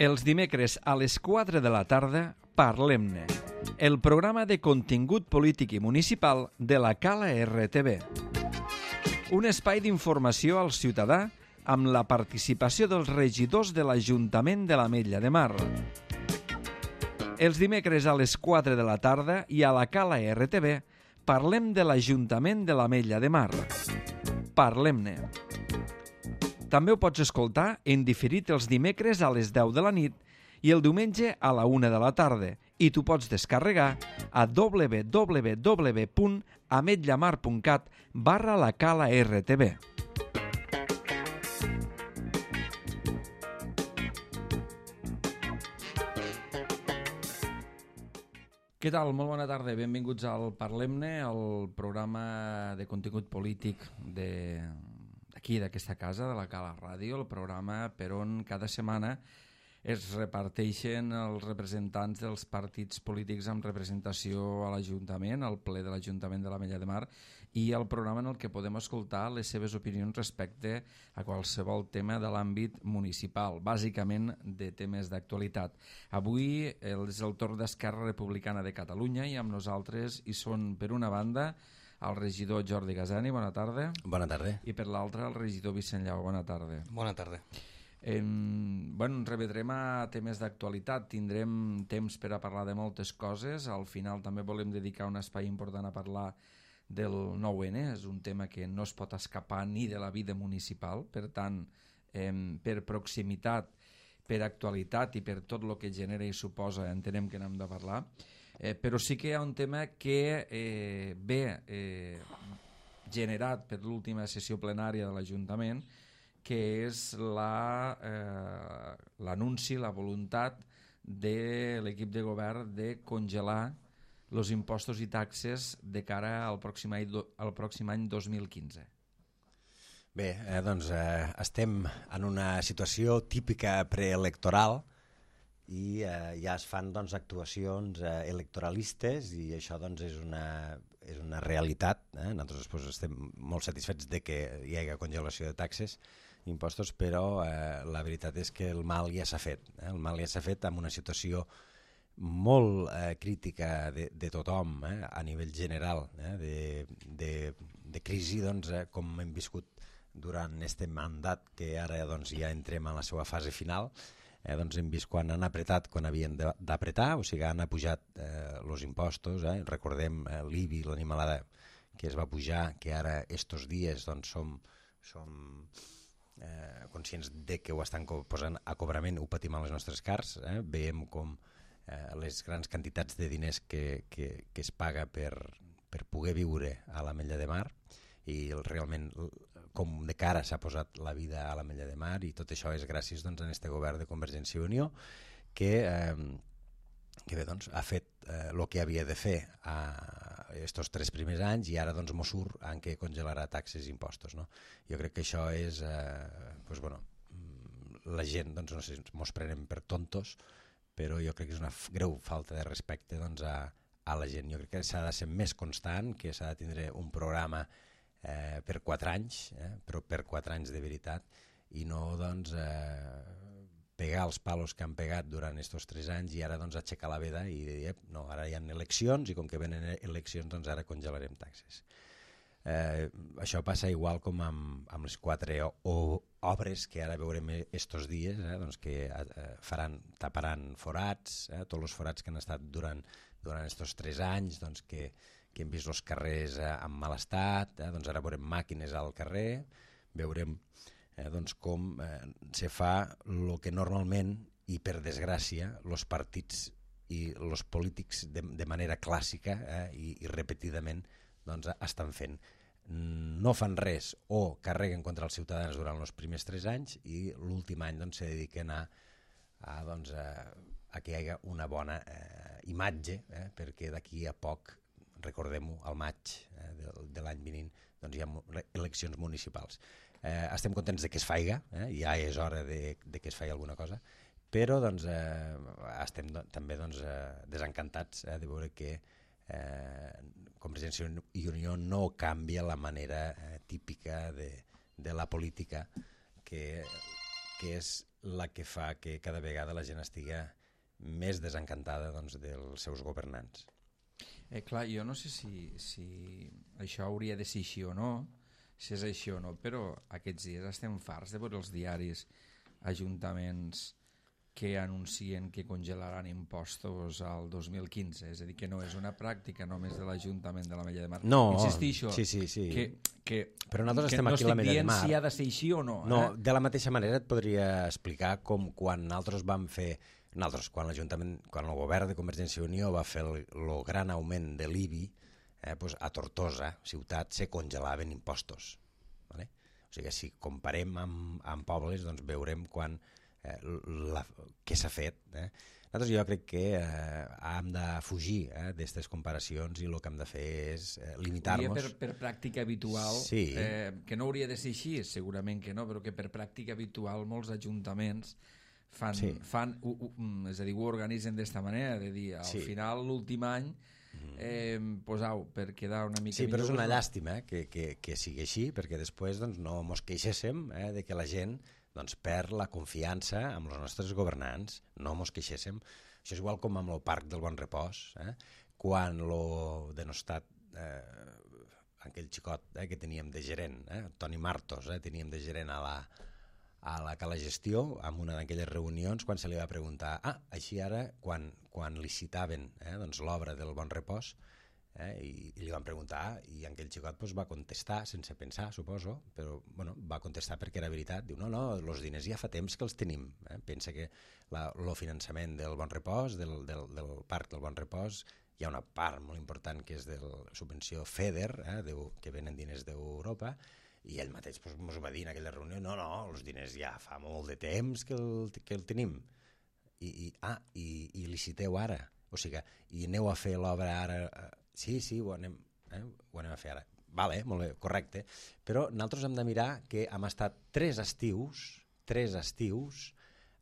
Els dimecres a les 4 de la tarda, Parlem-ne, el programa de contingut polític i municipal de la Cala RTV. Un espai d'informació al ciutadà amb la participació dels regidors de l'Ajuntament de l'Ametlla de Mar. Els dimecres a les 4 de la tarda i a la Cala RTV parlem de l'Ajuntament de l'Ametlla de Mar. Parlem-ne. També ho pots escoltar en diferit els dimecres a les 10 de la nit i el diumenge a la 1 de la tarda i t'ho pots descarregar a www.ametllamar.cat/la Cala RTV. Què tal? Molt bona tarda. Benvinguts al Parlem-ne, el programa de contingut polític d'aquí, d'aquesta casa, de la Cala Ràdio, el programa per on cada setmana es reparteixen els representants dels partits polítics amb representació a l'Ajuntament, al ple de l'Ajuntament de l'Ametlla de Mar, i el programa en el que podem escoltar les seves opinions respecte a qualsevol tema de l'àmbit municipal, bàsicament de temes d'actualitat. Avui és el torn d'Esquerra Republicana de Catalunya i amb nosaltres hi són, per una banda, el regidor Jordi Gasani, bona tarda. Bona tarda. I per l'altra, el regidor Vicent Llau, bona tarda. Bona tarda. Ens remetrem a temes d'actualitat, tindrem temps per a parlar de moltes coses, al final també volem dedicar un espai important a parlar del 9-N, és un tema que no es pot escapar ni de la vida municipal, per tant, per proximitat, per actualitat i per tot el que genera i suposa, entenem que n'hem de parlar, però sí que hi ha un tema que ve generat per l'última sessió plenària de l'Ajuntament, que és l'anunci, la voluntat de l'equip de govern de congelar els impostos i taxes de cara al pròxim any 2015. Bé, doncs estem en una situació típica preelectoral i ja es fan actuacions electoralistes i això és una realitat. Nosaltres després estem molt satisfets de que hi hagi congelació de taxes i impostos, però la veritat és que el mal ja s'ha fet. El mal ja s'ha fet amb una situació molt crítica de tothom a nivell general, de crisi, com hem viscut durant aquest mandat, que ara ja entrem en la seva fase final. Hem vist quan han apretat quan havien d'apretar, o sigui, han pujat els impostos, recordem l'IBI, l'animalada que es va pujar, que ara estos dies som conscients de que ho estan posant a cobrament, ho patim a les nostres cars, veiem com les grans quantitats de diners que es paga per poder viure a l'Ametlla de Mar i realment com de cara s'ha posat la vida a l'Ametlla de Mar, i tot això és gràcies a aquest govern de Convergència i Unió que ha fet el que havia de fer estos 3 primers anys i ara mos surt en què congelarà taxes i impostos. Jo crec que això és... la gent, no sé, mos prenen per tontos, però jo crec que és una greu falta de respecte a la gent. Jo crec que s'ha de ser més constant, que s'ha de tindre un programa per 4 anys, però per 4 anys de veritat, i no pegar els palos que han pegat durant aquests 3 anys i ara aixecar la veda i dir, no, ara hi ha eleccions i com que venen eleccions ara congelarem taxes. Això passa igual com amb les 4 obres que ara veurem estos dies, que taparan forats, tots els forats que han estat durant aquests 3 anys, que hem vist els carrers en mal estat, ara veurem màquines al carrer, veurem com se fa el que normalment, i per desgràcia, els partits i els polítics de manera clàssica i repetidament estan fent. No fan res o carreguen contra els ciutadans durant els primers 3 anys i l'últim any se dediquen a que hi hagi una bona imatge, perquè d'aquí a poc, recordem-ho, al maig de l'any vinent, hi ha eleccions municipals. Estem contents de que es faiga, ja és hora de que es faci alguna cosa, però estem també desencantats de veure que Convergència i Unió no canvia la manera típica de la política, que és la que fa que cada vegada la gent estigui més desencantada doncs, dels seus governants. Clar, jo no sé si això hauria de ser així o no, si és així o no, però aquests dies estem farts de veure els diaris ajuntaments que anuncien que congelaran impostos al 2015, és a dir, que no és una pràctica només de l'Ajuntament de l'Ametlla de Mar. No, insistixo, sí. que però nosaltres estem no aquí a l'Ametlla de Mar. Si ha de ser així o no. No, de la mateixa manera et podria explicar com quan nosaltres vam fer, quan l'Ajuntament, quan el govern de Convergència i Unió va fer el gran augment de l'IBI, doncs a Tortosa, ciutat, se congelaven impostos. Vale? O sigui, si comparem amb pobles, doncs veurem què s'ha fet. Nosaltres jo crec que hem de fugir d'aquestes comparacions i el que hem de fer és limitar-nos. Per pràctica habitual, sí. Que no hauria de ser així, segurament que no, però que per pràctica habitual molts ajuntaments fan és a dir, ho organitzen d'esta manera, de dir, al final, l'últim any, posau, per quedar una mica... Sí, però és una llàstima que sigui així, perquè després doncs, no mos queixéssim de que la gent perd la confiança amb els nostres governants, no mos queixéssim. Això és igual com amb el Parc del Bon Repòs, quan lo denostat aquell xicot que teníem de gerent, Toni Martos, teníem de gerent a la cala gestió, en una d'aquelles reunions, quan se li va preguntar, així ara, quan licitaven l'obra del Bon Repòs, i li van preguntar i aquell xicot va contestar sense pensar, suposo, però va contestar perquè era veritat. Diu, no, els diners ja fa temps que els tenim. Pensa que el finançament del Bon Repòs, del Parc del Bon Repòs, hi ha una part molt important que és de la subvenció FEDER, que venen diners d'Europa, i ell mateix ens va dir en aquella reunió, no, els diners ja fa molt de temps que el tenim. I liciteu ara. O sigui, i aneu a fer l'obra ara... Sí, ho anem a fer ara. Vale, molt bé, correcte. Però nosaltres hem de mirar que hem estat 3 estius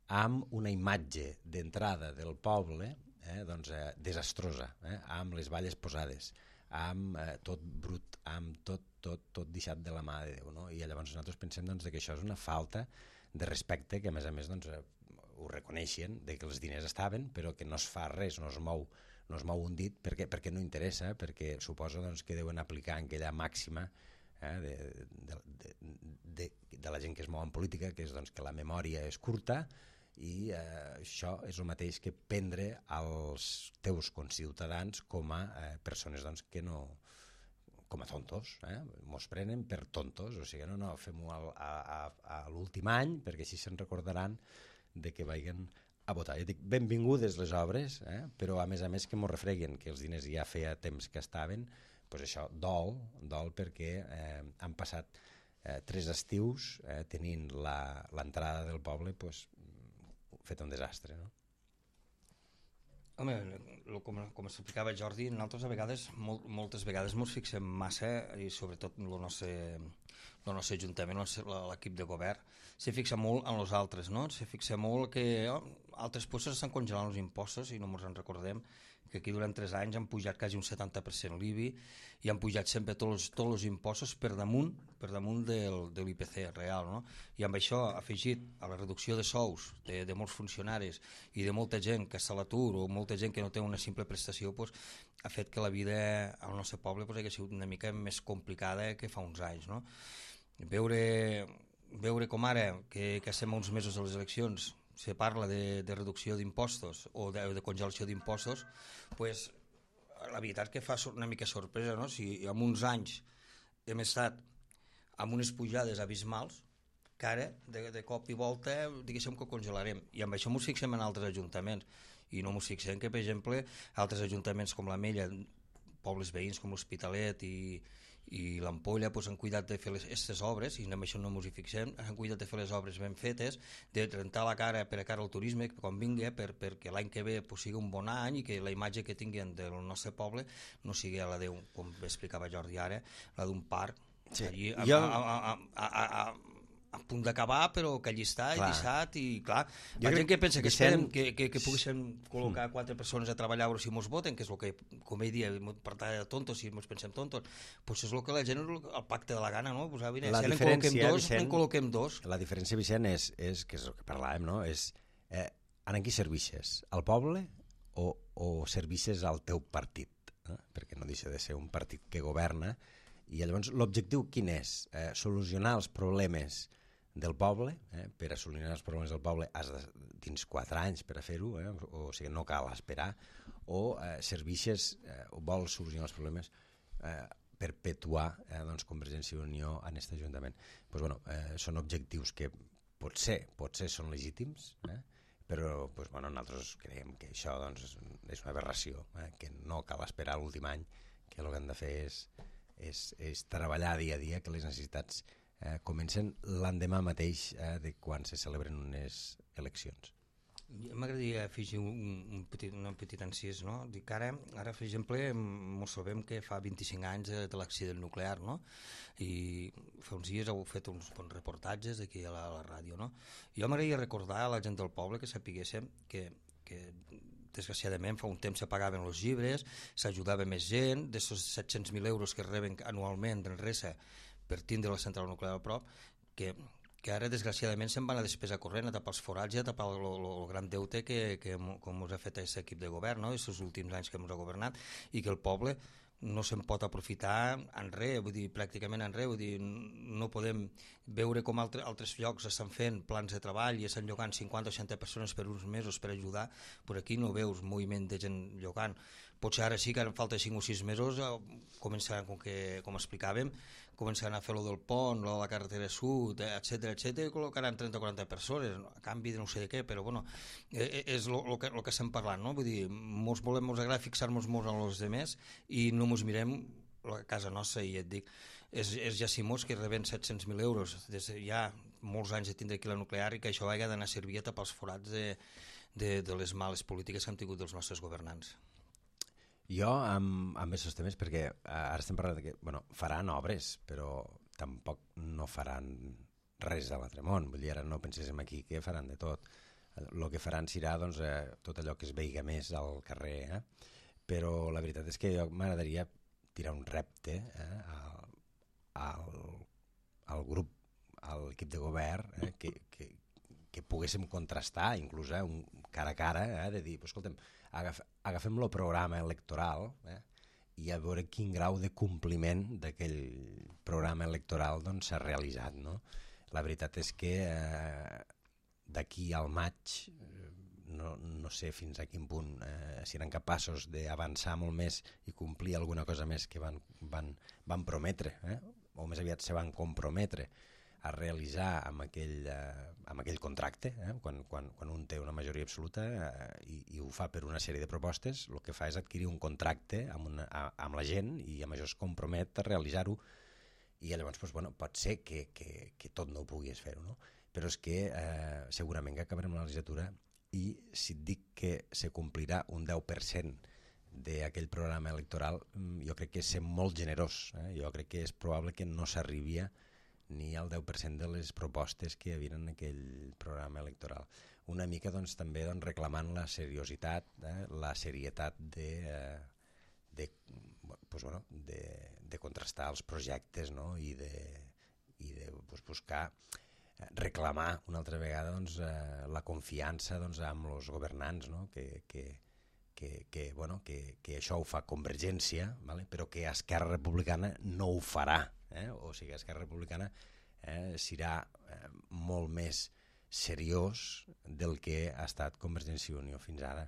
amb una imatge d'entrada del poble desastrosa, amb les valles posades, amb tot brut, amb tot deixat de la mà de Déu. No? I llavors nosaltres pensem que això és una falta de respecte, que a més ho reconeixen, que els diners estaven, però que no es fa res, no es mou un dit perquè no interessa, perquè suposo que deuen aplicar aquella màxima de la gent que es mou en política, que és que la memòria és curta, i això és el mateix que prendre als teus conciutadans com a persones que no, com a tontos, mos prenen per tontos, o sigui, no, fem-ho a l'últim any, perquè així se'n recordaran de que vagin a votar. Jo dic, benvingudes les obres, però a més que m'ho refreguen, que els diners ja feia temps que estaven, doncs això dol perquè han passat 3 estius tenint l'entrada del poble fet un desastre. No? Home, com explicava Jordi, nosaltres a vegades, moltes vegades ens fixem massa, i sobretot el nostre ajuntament, l'equip de govern, se fixa molt en els altres, no? Se fixa molt que altres puestos estan congelant els impostos i no ens en recordem que aquí durant 3 anys han pujat quasi un 70% l'IBI i han pujat sempre tots els impostos per damunt de l'IPC real, no? I amb això afegit a la reducció de sous de molts funcionaris i de molta gent que està a l'atur o molta gent que no té una simple prestació, ha fet que la vida al nostre poble hagi sigut una mica més complicada que fa uns anys, no? Veure com ara, que estem a uns mesos de les eleccions, se parla de reducció d'impostos o de congelació d'impostos, la veritat que fa una mica sorpresa, no? Si en uns anys hem estat amb unes pujades abismals, que ara, de cop i volta, diguéssim que congelarem. I amb això ens fixem en altres ajuntaments. I no ens fixem que, per exemple, altres ajuntaments com l'Ametlla, pobles veïns com l'Hospitalet i l'Ampolla han cuidat de fer aquestes obres, i amb això no ens hi fixem, han cuidat de fer les obres ben fetes, de rentar la cara per a cara al turisme quan vingui, perquè l'any que ve sigui un bon any i que la imatge que tinguin del nostre poble no sigui la d'un, com explicava Jordi ara, la d'un parc, allí a punt d'acabar, però que allí està, Clar. i deixat, i clar, Jo la crec gent que pensa que Vicent- esperem que poguéssim col·locar 4 persones a treballar a veure si mos voten, que és el que, com ell dia, per tant de tontos, si ens pensem tontos, doncs és el que la gent, el pacte de la gana, no? Pues, mira, La si en diferència, col·loquem dos, Vicent, en col·loquem dos. La diferència, Vicent, és que és el que parlàvem, no? És en qui serveixes? Al poble o serveixes al teu partit? Perquè no deixa de ser un partit que governa, i llavors l'objectiu quin és? Solucionar els problemes del poble. Per a solucionar els problemes del poble has de tens 4 anys per a fer-ho, o sigui, no cal esperar, o serveixes o vols solucionar els problemes perpetuar Convergència i Unió en aquest Ajuntament. Pues, bueno, són objectius que potser són legítims, però nosaltres creiem que això és una aberració, que no cal esperar l'últim any, que el que han de fer és treballar dia a dia, que les necessitats comencen l'endemà mateix de quan se celebren unes eleccions. M'agradaria afegir un petit encís, no? Dic que ara, per exemple, ens sabem que fa 25 anys de l'accident nuclear, no? I fa uns dies heu fet uns bons reportatges aquí a la ràdio, no? Jo m'agradaria recordar a la gent del poble que sapiguéssim que desgraciadament fa un temps s'apagaven els llibres, s'ajudava més gent, d'aquests 700.000 euros que reben anualment d'Enresa per tindre la central nuclear a prop, que ara desgraciadament se'n van a despesa corrent, a tapar els forats i a tapar el gran deute que com us ha fet aquest equip de govern, no? aquests últims anys que ens ha governat, i que el poble no se'n pot aprofitar en res, vull dir, pràcticament en res, vull dir, no podem veure com altres llocs estan fent plans de treball i estan llogant 50 o 60 persones per uns mesos per ajudar, per aquí no veus moviment de gent llogant. Potser ara sí que ara falta 5 o 6 mesos, començaran, com explicàvem, començaran a fer lo del pont, lo de la carretera sud, etc i col·locaran 30 o 40 persones, a canvi de no sé de què, però bueno, és el que estem parlant, no? Vull dir, mos agrada fixar-nos molt en els altres i no mos mirem a casa nostra, i et dic, és Jacimós que reben 700.000 euros des de ja molts anys de tindre aquí la nuclear, i que això hagi d'anar a servir a tapar els forats de les males polítiques que han tingut dels nostres governants. Jo, amb aquests temes, perquè ara estem parlant que faran obres, però tampoc no faran res de l'altre món. Vull dir, ara no penséssim aquí que faran de tot. El que faran serà tot allò que es veiga més al carrer. Però la veritat és que jo m'agradaria tirar un repte al grup, a l'equip de govern, que poguéssim contrastar, inclús cara a cara, de dir, escolta'm, agafem el programa electoral i a veure quin grau de compliment d'aquell programa electoral s'ha realitzat, no? La veritat és que d'aquí al maig no sé fins a quin punt seran capaços d'avançar molt més i complir alguna cosa més que van prometre, o més aviat se van comprometre a realitzar amb aquell contracte, quan un té una majoria absoluta i ho fa per una sèrie de propostes, el que fa és adquirir un contracte amb la gent i amb això es compromet a realitzar-ho, i llavors pot ser que tot no ho puguis fer-ho, no? Però és que segurament que acabarem la legislatura i si et dic que se complirà un 10% d'aquell programa electoral, jo crec que és ser molt generós, jo crec que és probable que no s'arribia ni al 10% de les propostes que hi havia en aquell programa electoral. Una mica també reclamant la seriositat, la serietat de contrastar els projectes, no? I de buscar reclamar una altra vegada la confiança amb els governants, no? Que això ho fa Convergència, vale? Però que Esquerra Republicana no ho farà. O sigui, Esquerra Republicana serà molt més seriós del que ha estat Convergència i Unió fins ara.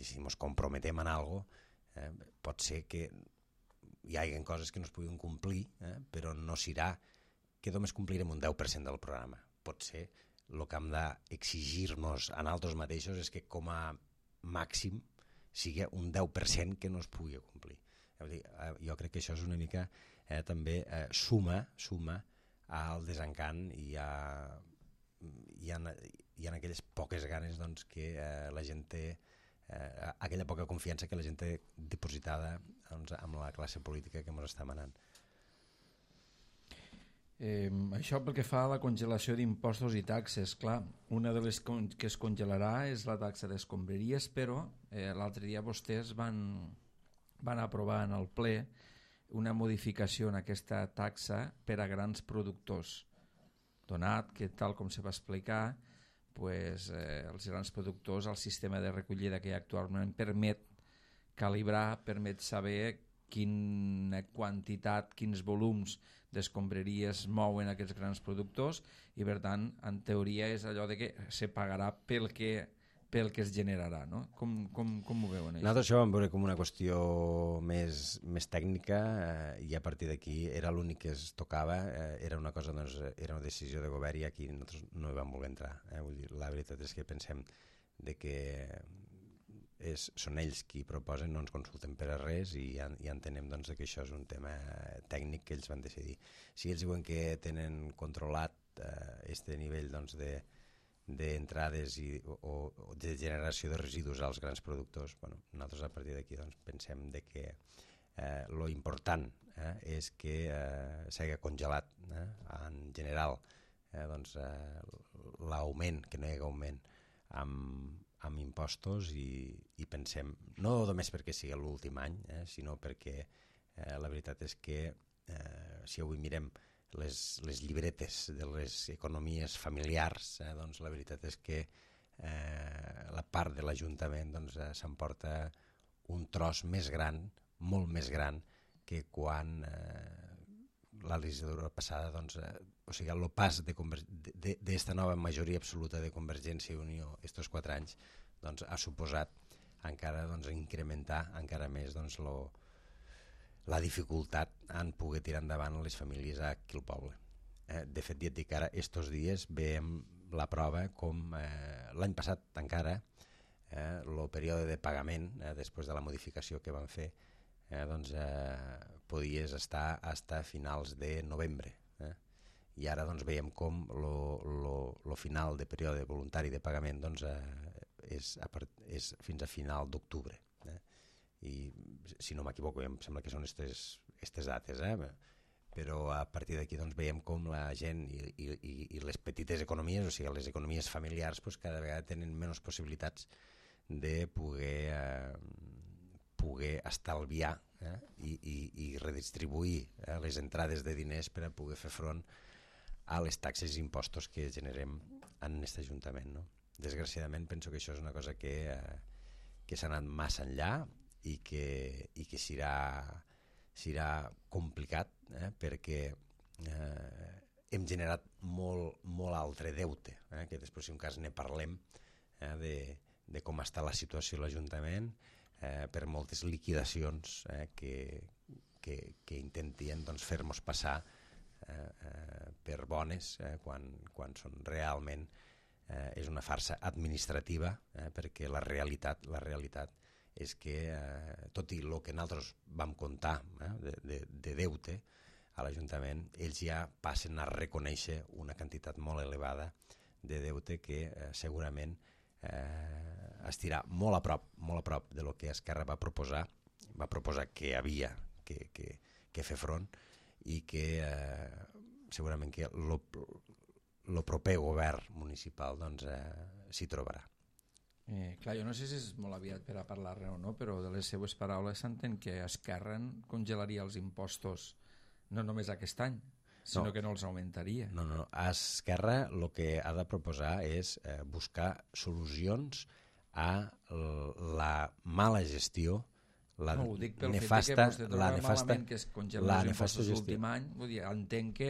Si ens comprometem en alguna cosa, pot ser que hi hagi coses que no es puguin complir, però no serà que només complirem un 10% del programa. Pot ser el que hem d'exigir-nos a nosaltres mateixos és que com a màxim sigui un 10% que no es pugui complir. Jo crec que això és una mica també suma al desencant i en aquelles poques ganes que la gent té, aquella poca confiança que la gent té dipositada amb la classe política que ens està manant. Això pel que fa a la congelació d'impostos i taxes, clar, una de les que es congelarà és la taxa d'escombraries, però l'altre dia vostès van aprovar en el ple una modificació en aquesta taxa per a grans productors, donat que, tal com se va explicar, pues, els grans productors, el sistema de recollida que actualment permet calibrar, permet saber quina quantitat, quins volums d'escombraries mouen aquests grans productors i, per tant, en teoria és allò de que se pagarà pel que es generarà, no? Com ho veuen? Nosaltres això ho vam veure com una qüestió més tècnica i a partir d'aquí era l'únic que es tocava, era una cosa, doncs, era una decisió de govern i aquí nosaltres no hi vam voler entrar. Vull dir, la veritat és que pensem de que són ells qui proposen, no ens consulten per a res i entenem doncs, que això és un tema tècnic que ells van decidir. Si ells diuen que tenen controlat este nivell doncs, d'entrades o de generació de residus als grans productors, bueno, nosaltres a partir d'aquí doncs, pensem de que lo important és que s'hagi congelat en general doncs, l'augment, que no hi hagi augment amb impostos i pensem, no només perquè sigui l'últim any, sinó perquè la veritat és que si avui mirem les llibretes de les economies familiars, doncs la veritat és que la part de l'Ajuntament doncs, s'emporta un tros més gran, molt més gran, que quan la legislatura passada, doncs, o sigui, el pas d'esta nova majoria absoluta de Convergència i Unió estos 4 anys doncs, ha suposat encara doncs, incrementar encara més doncs, la dificultat en poder tirar endavant les famílies aquí al poble. De fet, ja et dic, ara, estos dies veiem la prova com l'any passat encara el període de pagament, després de la modificació que van fer, doncs, podies estar a finals de novembre. I ara doncs, veiem com el final de període voluntari de pagament doncs, és fins a final d'octubre. I si no m'equivoco, em sembla que són aquestes dates, però a partir d'aquí doncs, veiem com la gent i les petites economies, o sigui, les economies familiars, doncs, cada vegada tenen menys possibilitats de poder estalviar i redistribuir les entrades de diners per a poder fer front a les taxes i impostos que generem en aquest Ajuntament. No? Desgraciadament penso que això és una cosa que s'ha anat massa enllà i que serà complicat perquè hem generat molt altre deute, que després si un cas ne parlem de com està la situació a l'Ajuntament, per moltes liquidacions que intentien doncs, fer-nos passar per bones quan són realment és una farsa administrativa, perquè la realitat és que tot i el que nosaltres vam comptar de deute a l'Ajuntament, ells ja passen a reconèixer una quantitat molt elevada de deute que segurament estirà molt a prop de lo que Esquerra va proposar que havia que fer front i que segurament que el proper govern municipal doncs, s'hi trobarà. Clar, jo no sé si és molt aviat per a parlar-ne o no, però de les seues paraules s'entén que Esquerra congelaria els impostos no només aquest any, sinó que no els augmentaria. No. Esquerra el que ha de proposar és buscar solucions a la mala gestió, la no, ho dic pel nefasta, fet que vostè troba malament que es congelen els impostos l'últim any, vull dir, entenc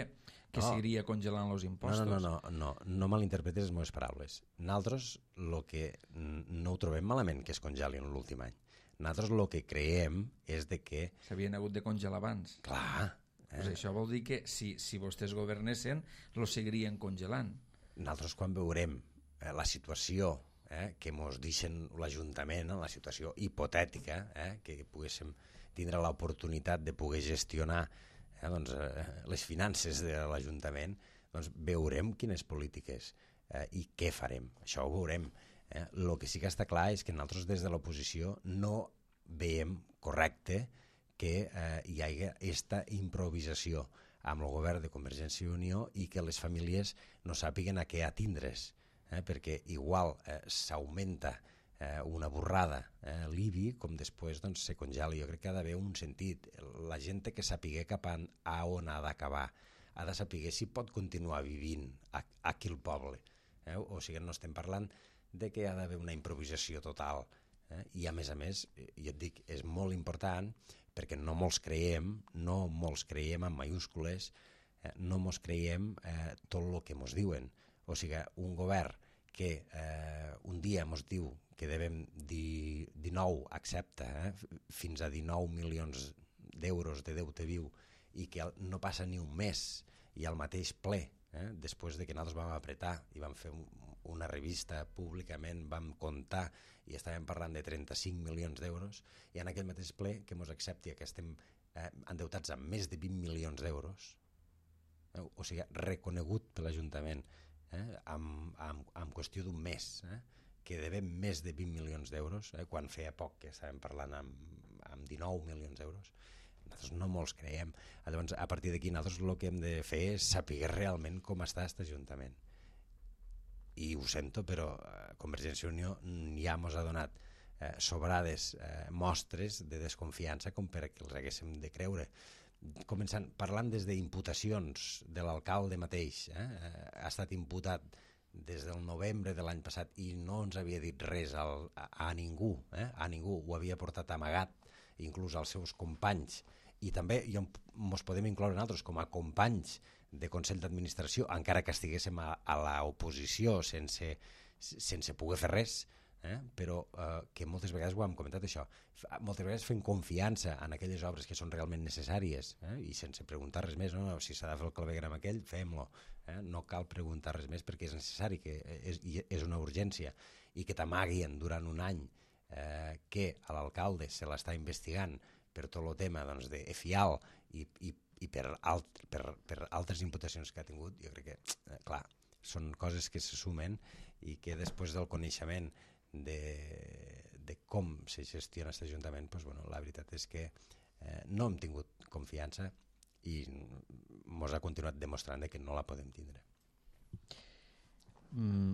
que seguiria congelant els impostos. No malinterpretes les meves paraules. Nosaltres el que no ho trobem malament que es congelin l'últim any. Nosaltres el que creiem és de que... S'havien hagut de congelar abans. Clar. Pues això vol dir que si vostès governessin, els seguirien congelant. Nosaltres quan veurem la situació que ens deixen l'Ajuntament, la situació hipotètica, que poguéssim tindre l'oportunitat de poder gestionar doncs, les finances de l'Ajuntament, doncs veurem quines polítiques i què farem. Això ho veurem. El que sí que està clar és que nosaltres des de l'oposició no veiem correcte que hi hagi aquesta improvisació amb el govern de Convergència i Unió i que les famílies no sàpiguen a què atindre's, perquè igual s'augmenta una borrada l'IBI, com després doncs, se congela. Jo crec que ha d'haver un sentit. La gent té que saber cap a on ha d'acabar, ha de saber si pot continuar vivint aquí al poble. O sigui, no estem parlant de que ha d'haver una improvisació total. I a més, jo et dic, és molt important perquè no molts creiem en mayúscules, no mos creiem tot el que mos diuen. O sigui, un govern que un dia mos diu que devem 19, accepta, fins a 19 milions d'euros de deute viu i que no passa ni un mes i al mateix ple, després de que nosaltres vam apretar i vam fer una revista públicament, vam comptar i estàvem parlant de 35 milions d'euros i en aquell mateix ple que mos accepti que estem endeutats amb més de 20 milions d'euros, o sigui, reconegut per l'Ajuntament en qüestió d'un mes, que devem més de 20 milions d'euros, quan feia poc que estàvem parlant amb 19 milions d'euros. Nosaltres no molts creiem. Llavors, a partir d'aquí, nosaltres el que hem de fer és saber realment com està aquest Ajuntament. I ho sento, però Convergència i Unió ja ens ha donat sobrades mostres de desconfiança com perquè els haguéssim de creure. Començant, parlant des d'imputacions de l'alcalde mateix, ha estat imputat des del novembre de l'any passat i no ens havia dit res a ningú, ho havia portat amagat, inclús als seus companys, i també ens podem incloure nosaltres com a companys de Consell d'Administració, encara que estiguéssim a l'oposició sense poder fer res, però que moltes vegades ho hem comentat això, moltes vegades fent confiança en aquelles obres que són realment necessàries i sense preguntar res més, si s'ha de fer el clavegueram aquell, fem-lo, no cal preguntar res més perquè és necessari, que és una urgència, i que t'amaguin durant un any que a l'alcalde se l'està investigant per tot el tema de FIAL i per altres imputacions que ha tingut. Jo crec que, clar, són coses que se sumen i que després del coneixement de com se gestiona aquest Ajuntament, la veritat és que no hem tingut confiança i ens ha continuat demostrant que no la podem tindre.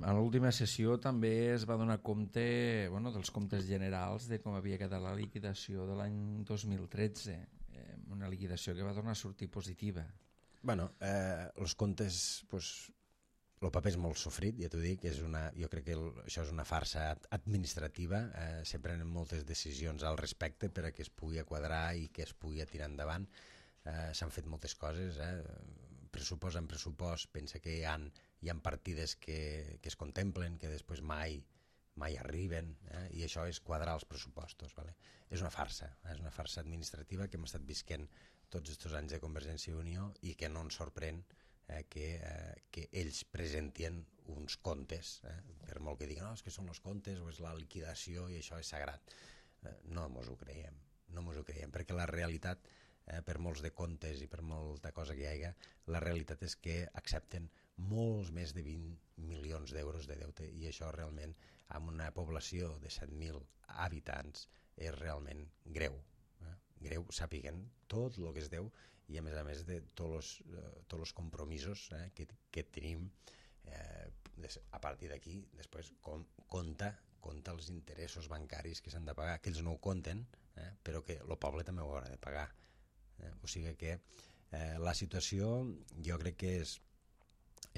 A l'última sessió també es va donar compte dels comptes generals de com havia quedat la liquidació de l'any 2013, una liquidació que va tornar a sortir positiva. Els comptes, el paper és molt sofrit, ja t'ho dic, jo crec que això és una farsa administrativa, se prenen moltes decisions al respecte per a que es pugui quadrar i que es pugui tirar endavant. S'han fet moltes coses, pressupost en pressupost, pensa que hi ha partides que es contemplen, que després mai arriben, i això és quadrar els pressupostos. És una farsa administrativa que hem estat visquent tots aquests anys de Convergència i Unió i que no ens sorprèn que ells presentien uns comptes, per molt que diguin és que són els comptes o és la liquidació i això és sagrat. No ens ho creiem, perquè la realitat, per molts de comptes i per molta cosa que hi hagi, la realitat és que accepten molts més de 20 milions d'euros de deute i això realment, amb una població de 7.000 habitants, és realment greu. Greu, sàpiguen tot el que es deu i a més de tots els compromisos que tenim. A partir d'aquí, després compta els interessos bancaris que s'han de pagar, que ells no ho compten, però que el poble també ho haurà de pagar. O sigui que la situació jo crec que és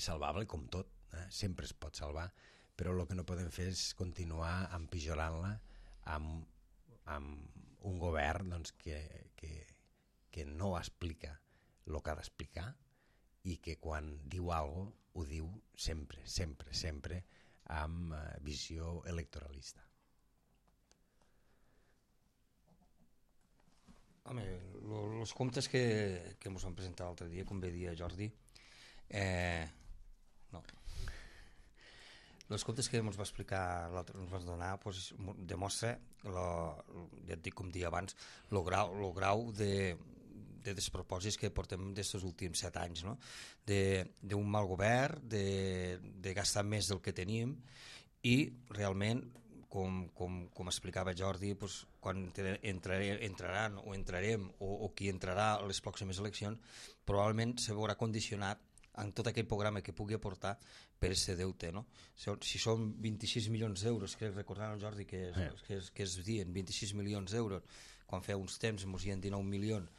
salvable com tot, sempre es pot salvar, però el que no podem fer és continuar empitjorant-la amb un govern que no explica el que ha d'explicar i que quan diu alguna cosa ho diu sempre amb visió electoralista. Home, els comptes que ens van presentar l'altre dia, com bé dia Jordi, no. Els comptes que ens va explicar l'altre, ens van donar, demostra, ja et dic com dia abans, el grau de despropòsits que portem d'aquests últims 7 anys, no? D'un mal govern, de gastar més del que tenim i realment com explicava Jordi, doncs, quan entraran o entrarem o qui entrarà a les pròximes eleccions, probablement se veurà condicionat en tot aquell programa que pugui aportar per aquest deute, no? Si són 26 milions d'euros, crec recordar, Jordi, que es dien 26 milions d'euros, quan feia uns temps ens dien 19 milions,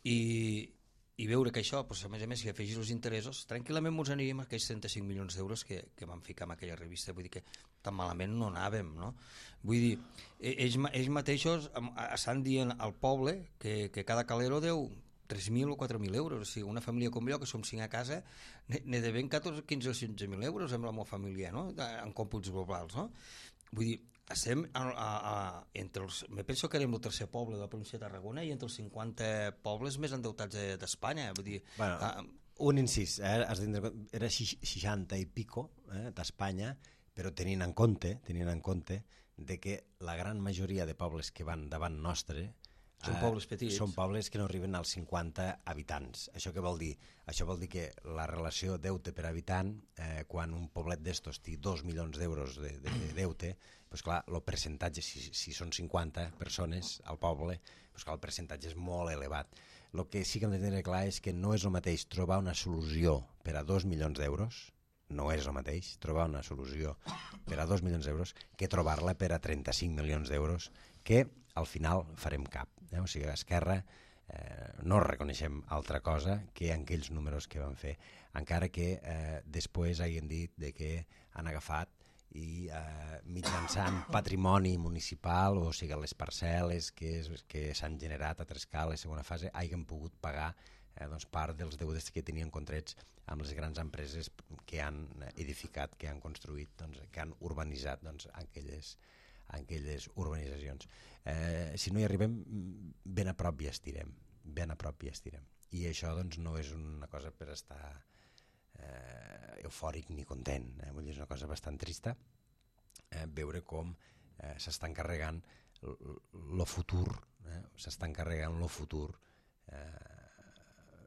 i veure que això, doncs, a més, si afegís els interessos, tranquil·lament ens aniríem a aquells 35 milions d'euros que vam ficar en aquella revista. Vull dir que tan malament no anàvem, no? Vull dir, ells mateixos estan dient al poble que cada calero deu 3.000 o 4.000 euros. O sigui, una família com jo, que som 5 a casa, ne devem 14, 15 o 16.000 euros amb la meva família, no? En còmputs globals, no? Vull dir, estem me penso que érem el tercer poble de la província de Tarragona i entre els 50 pobles més endeutats d'Espanya. Vull dir, un incís, era 60 i pico d'Espanya, però tenint en compte de que la gran majoria de pobles que van davant nostre són pobles petits. Són pobles que no arriben als 50 habitants. Això què vol dir? Això vol dir que la relació deute per habitant, quan un poblet d'estos té 2 milions d'euros de deute, doncs clar, el percentatge, si són 50 persones al poble, doncs clar, el percentatge és molt elevat. El que sí que hem de tenir clar és que no és el mateix trobar una solució per a 2 milions d'euros, no és el mateix trobar una solució per a 2 milions d'euros que trobar-la per a 35 milions d'euros, que al final farem cap. O sigui, a Esquerra no reconeixem altra cosa que en aquells números que van fer, encara que després hagin dit que han agafat i mitjançant patrimoni municipal, o sigui, les parcel·les que s'han generat a Trescal, a segona fase, hagin pogut pagar part dels deutes que tenien contrets amb les grans empreses que han edificat, que han construït, que han urbanitzat aquelles urbanitzacions. Si no hi arribem, ben a prop hi estirem, i això no és una cosa per estar eufòric ni content, vull dir, és una cosa bastant trista veure com s'està encarregant el futur,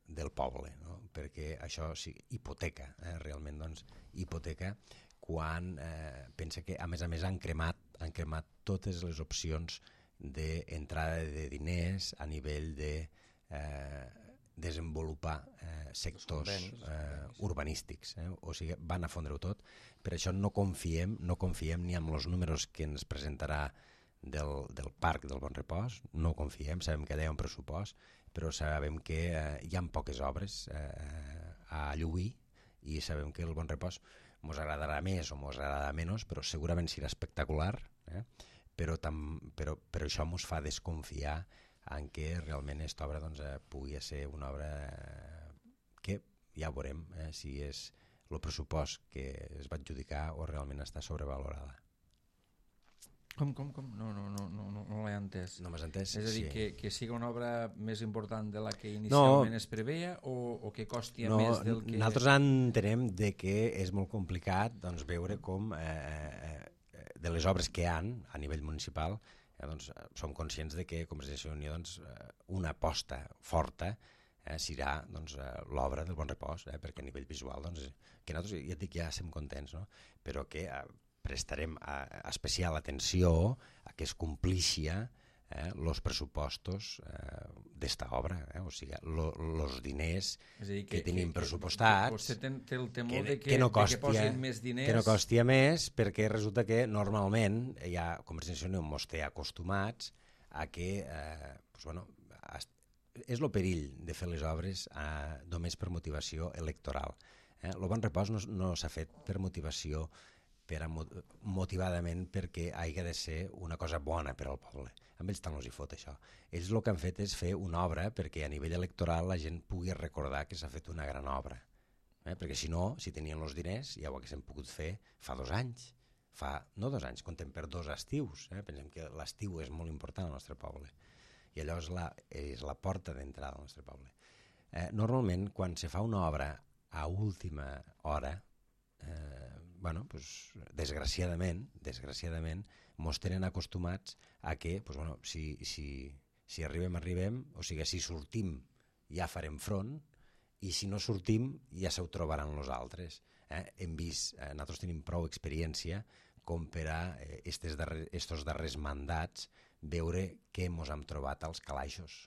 del poble, no? Perquè això hipoteca, realment hipoteca, quan pensa que a més han cremat totes les opcions d'entrada de diners a nivell de desenvolupar sectors urbanístics, o sigui, van a fondre-ho tot. Per això no confiem ni en els números que ens presentarà del Parc del Bon Repòs, no confiem, sabem que hi ha un pressupost, però sabem que hi ha poques obres a lluir, i sabem que el Bon Repòs ens agradarà més o ens agradarà menys, però segurament serà espectacular, però això ens fa desconfiar en què realment aquesta obra pugui ser una obra que ja veurem si és el pressupost que es va adjudicar o realment està sobrevalorada. Com? No l'he entès. No m'has entès? És a dir, que sigui una obra més important de la que inicialment es preveia o que costi més del que... Nosaltres entenem que és molt complicat veure com de les obres que hi ha a nivell municipal som conscients que Convergència i Unió una aposta forta serà l'obra del Bon Repòs, perquè a nivell visual que nosaltres, ja et dic, ja estem contents, però que prestarem especial atenció a que es complixi els pressupostos d'esta obra, o sigui, els diners que tenim pressupostats, vostè té el temor que posin més diners, que no costi més, perquè resulta que normalment ja Convergència i Unió ens té acostumats a que és el perill de fer les obres només per motivació electoral. El Bon Repòs no s'ha fet per motivació, motivadament perquè hagi de ser una cosa bona per al poble. A ells tant els hi fot això. Ells el que han fet és fer una obra perquè a nivell electoral la gent pugui recordar que s'ha fet una gran obra. Perquè si no, si tenien els diners, ja ho haguéssim pogut fer fa 2 anys. No 2 anys, comptem per 2 estius. Pensem que l'estiu és molt important al nostre poble. I allò és la porta d'entrada al nostre poble. Normalment, quan se fa una obra a última hora, desgraciadament mos tenen acostumats a que si arribem, o sigui, si sortim ja farem front, i si no sortim ja se ho trobaran els altres. Hem vist, nosaltres tenim prou experiència com per a estos darrers mandats veure què mos hem trobat als calaixos,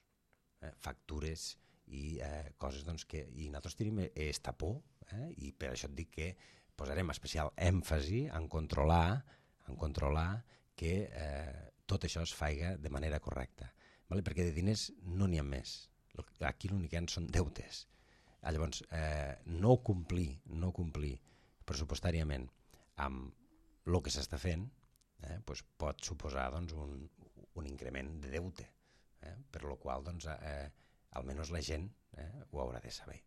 factures i coses doncs, que... I nosaltres tenim esta por, i per això et dic que posarem especial èmfasi en controlar que tot això es faiga de manera correcta, vale? Perquè de diners no n'hi ha més. Aquí l'únic que hi ha són deutes. Llavors, no complir pressupostàriament amb el que s'està fent doncs pot suposar doncs, un increment de deute, per lo qual doncs, almenys la gent ho haurà de saber.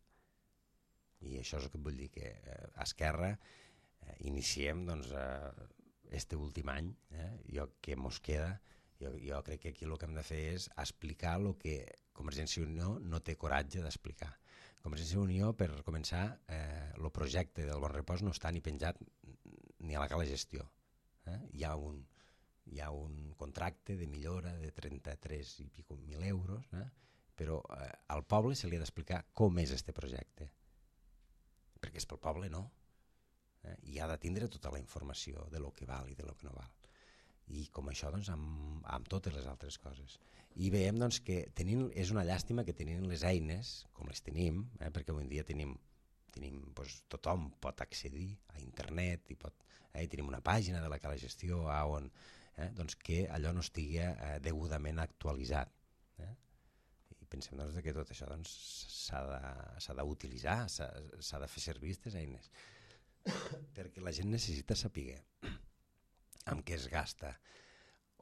I això és el que vull dir, que a Esquerra iniciem doncs, este últim any, que mos queda, jo crec que aquí el que hem de fer és explicar el que Convergència i Unió no té coratge d'explicar. Convergència i Unió, per començar, el projecte del Bon Repòs no està ni penjat ni a la cala gestió. Hi ha un contracte de millora de 33 i pico mil euros, però al poble se li ha d'explicar com és este projecte, perquè és pel poble, no? I ha de tindre tota la informació de lo que val i de lo que no val. I com això, doncs, amb totes les altres coses. I veiem doncs, que és una llàstima que tenint les eines, com les tenim, perquè avui en dia doncs, tothom pot accedir a internet i tenim una pàgina de la cala gestió on doncs, que allò no estigui degudament actualitzat. I pensem doncs, que tot això doncs, s'ha d'utilitzar, s'ha de fer servir aquestes eines, perquè la gent necessita saber amb què es gasta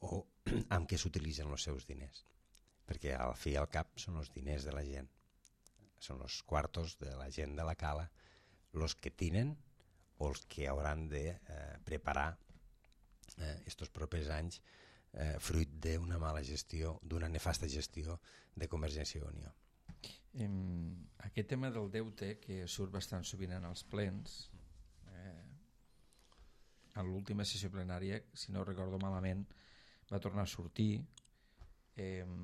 o amb què s'utilitzen els seus diners, perquè al fi i al cap són els diners de la gent, són els quartos de la gent de la cala els que tenen o els que hauran de preparar estos propers anys fruit d'una mala gestió, d'una nefasta gestió de Convergència i Unió. Aquest tema del deute, que surt bastant sovint en els plens, en l'última sessió plenària, si no recordo malament, va tornar a sortir,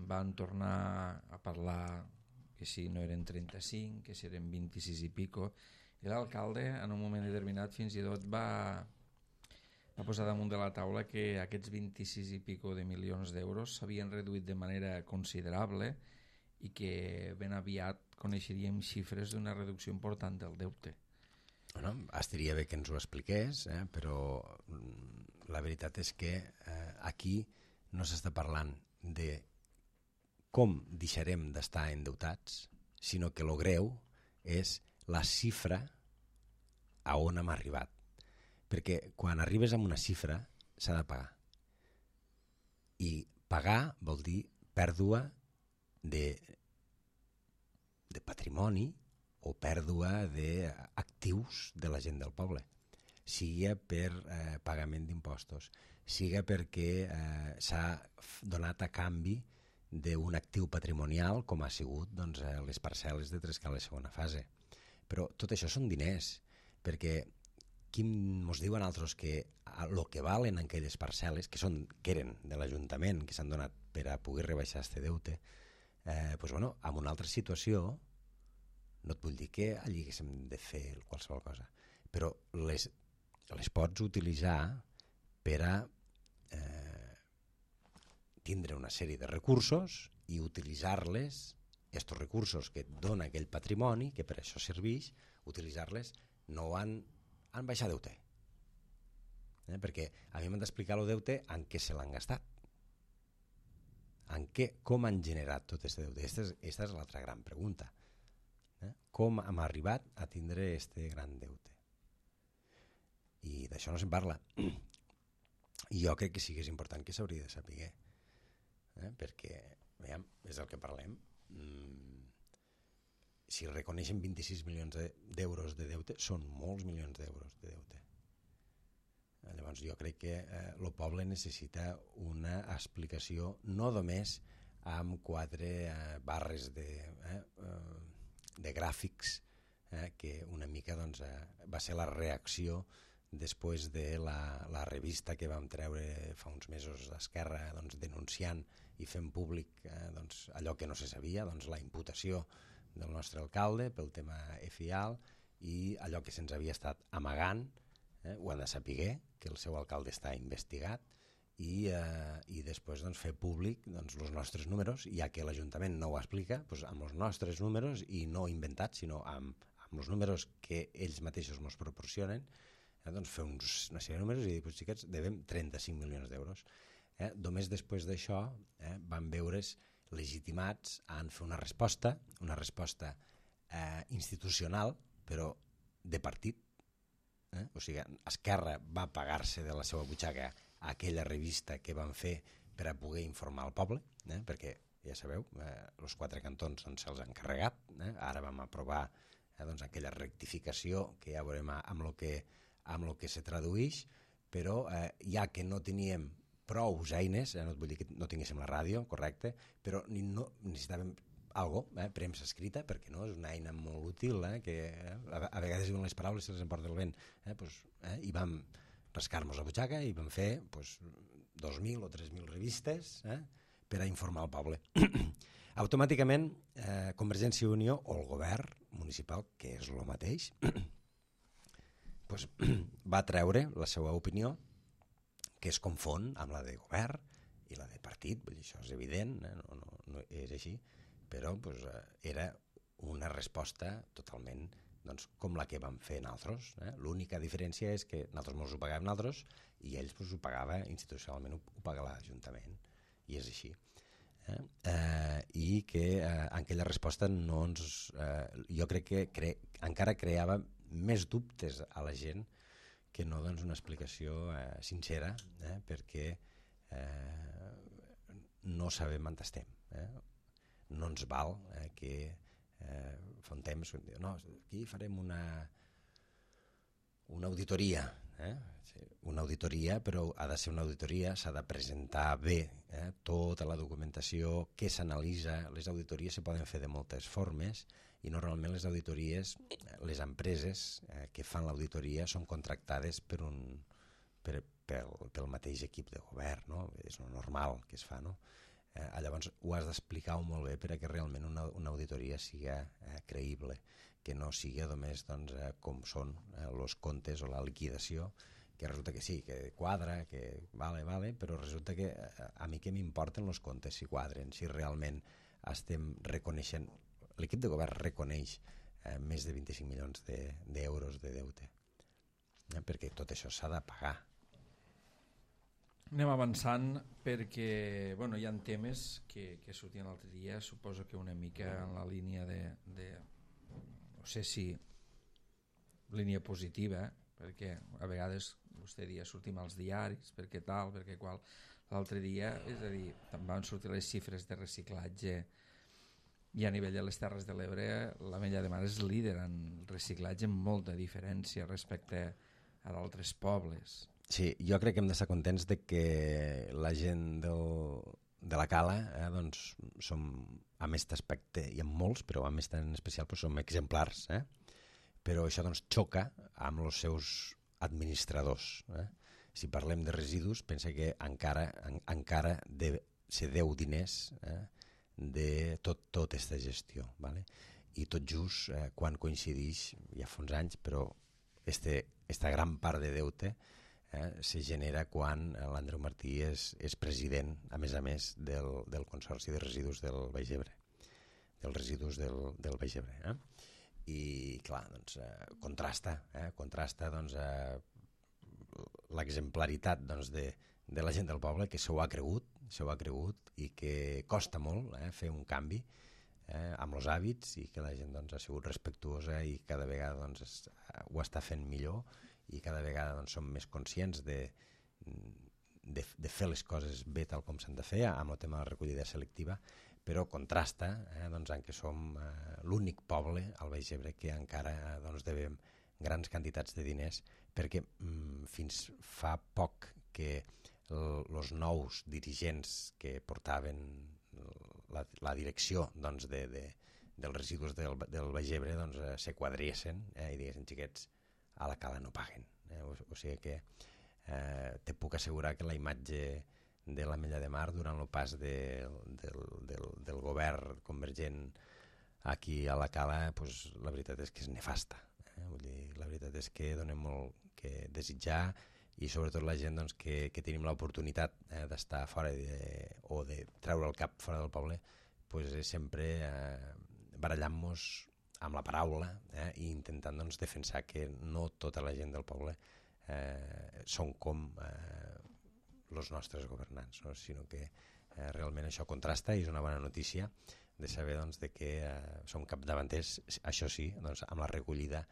van tornar a parlar que si no eren 35, que si eren 26 i pico, i l'alcalde en un moment determinat fins i tot va posar damunt de la taula que aquests 26 i pico de milions d'euros s'havien reduït de manera considerable i que ben aviat coneixeríem xifres d'una reducció important del deute. Bueno, estaria bé que ens ho expliqués, però la veritat és que aquí no s'està parlant de com deixarem d'estar endeutats, sinó que el greu és la xifra a on hem arribat. Perquè quan arribes a una xifra s'ha de pagar. I pagar vol dir pèrdua de patrimoni o pèrdua d'actius de la gent del poble, sigui per pagament d'impostos, sigui perquè s'ha donat a canvi d'un actiu patrimonial com ha sigut doncs, les parcel·les de Trescala segona fase. Però tot això són diners, perquè qui ens diuen altres que el que valen aquelles parcel·les, que eren de l'Ajuntament, que s'han donat per a poder rebaixar este deute, doncs, bueno, en una altra situació no et vull dir que allí haguéssim de fer qualsevol cosa, però les pots utilitzar per a tindre una sèrie de recursos i utilitzar-les, aquests recursos que et dona aquell patrimoni, que per això serveix, utilitzar-les no en baixar deute. Perquè a mi m'han d'explicar el deute en què se l'han gastat, com han generat tot aquest deute. Aquesta és l'altra gran pregunta. Com hem arribat a tindre aquest gran deute? I d'això no se'n parla. I jo crec que sí que és important que s'hauria de saber, perquè, veiem, és el que parlem. Si reconeixen 26 milions d'euros de deute, són molts milions d'euros de deute. Llavors jo crec que el poble necessita una explicació no només amb 4 barres de gràfics, que una mica doncs, va ser la reacció després de la revista que vam treure fa uns mesos d'Esquerra, doncs, denunciant i fent públic doncs, allò que no se sabia, doncs, la imputació del nostre alcalde pel tema FIAL i allò que se'ns havia estat amagant ho han de saber, que el seu alcalde està investigat, i després doncs, fer públic doncs, els nostres números, ja que l'Ajuntament no ho explica, doncs, amb els nostres números, i no inventats, sinó amb els números que ells mateixos ens proporcionen, doncs fer una sèrie de números i dir, doncs, xiquets, devem 35 milions d'euros. Només després d'això van veure's legitimats a fer una resposta institucional, però de partit. O sigui, Esquerra va pagar-se de la seva butxaca aquella revista que van fer per a poder informar el poble, perquè, ja sabeu, els 4 cantons doncs, se'ls han carregat. Ara vam aprovar doncs, aquella rectificació que ja veurem amb el que se tradueix, però ja que no teníem prou eines, no vull dir que no tinguéssim la ràdio, correcte, però necessitàvem algo, premsa escrita, perquè no, és una eina molt útil, que a vegades diuen les paraules se les emporta el vent, i vam rascar-nos la butxaca i vam fer 2.000 o 3.000 revistes per a informar el poble. Automàticament, Convergència i Unió o el govern municipal, que és el mateix, va treure la seva opinió, que es confon amb la de govern i la de partit, vull dir, això és evident, no és així, però era una resposta totalment com la que vam fer nosaltres. L'única diferència és que nosaltres ens ho pagàvem nosaltres i ells ho pagava institucionalment, ho pagava l'Ajuntament, i és així. I que aquella resposta jo crec que encara creava més dubtes a la gent que no una explicació sincera, perquè no sabem on estem. No ens val que fa un temps no, aquí farem una auditoria, una auditoria, però ha de ser una auditoria, s'ha de presentar bé tota la documentació que s'analitza. Les auditories se poden fer de moltes formes i normalment les auditories, les empreses que fan l'auditoria són contractades pel mateix equip de govern, no? És normal que es fa, no? Llavors ho has d'explicar molt bé perquè realment una auditoria siga creïble, que no sigui només com són els comptes o la liquidació, que resulta que sí, que quadra, que vale, però resulta que a mi què m'importen els comptes si quadren, si realment estem reconeixent, l'equip de govern reconeix més de 25 milions d'euros de deute, perquè tot això s'ha de pagar. Anem avançant perquè hi ha temes que sortien l'altre dia, suposo que una mica en la línia de no sé si línia positiva, perquè a vegades vostè dia sortim als diaris, perquè tal, perquè qual. L'altre dia, és a dir, també van sortir les xifres de reciclatge i a nivell de les Terres de l'Ebre l'Ametlla de Mar és líder en reciclatge amb molta diferència respecte a d'altres pobles. Sí, jo crec que hem d'estar contents de que la gent de la Cala som, amb aquest aspecte, i amb molts, però amb aquest en especial som exemplars, però això xoca amb els seus administradors. Si parlem de residus, pensa que encara se deu diners de tota aquesta gestió, i tot just quan coincideix, ja fa uns anys, però aquesta gran part de deute se genera quan l'Andreu Martí és president, a més, del Consorci de Residus del Baix Ebre, dels residus del Baix Ebre. I, clar, contrasta l'exemplaritat de la gent del poble, que s'ho ha cregut i que costa molt fer un canvi amb els hàbits, i que la gent ha sigut respectuosa i cada vegada ho està fent millor, i cada vegada som més conscients de fer les coses bé tal com s'han de fer amb el tema de la recollida selectiva, però contrasta en què som l'únic poble al Baix Ebre que encara devem grans quantitats de diners, perquè fins fa poc que els nous dirigents que portaven la direcció dels residus del Baix Ebre se quadriessin i diguessin, xiquets, a la Cala no paguen. O sigui que te puc assegurar que la imatge de l'Ametlla de Mar durant el pas del govern convergent aquí a la Cala, la veritat és que és nefasta. Vull dir, la veritat és que dona molt que desitjar, i sobretot la gent doncs, que tenim l'oportunitat d'estar fora o de treure el cap fora del poble, pues, sempre barallant-nos amb la paraula i intentant doncs, defensar que no tota la gent del poble són com els nostres governants, no? Sinó que realment això contrasta i és una bona notícia de saber doncs, de que som capdavanters, això sí, doncs, amb la recollida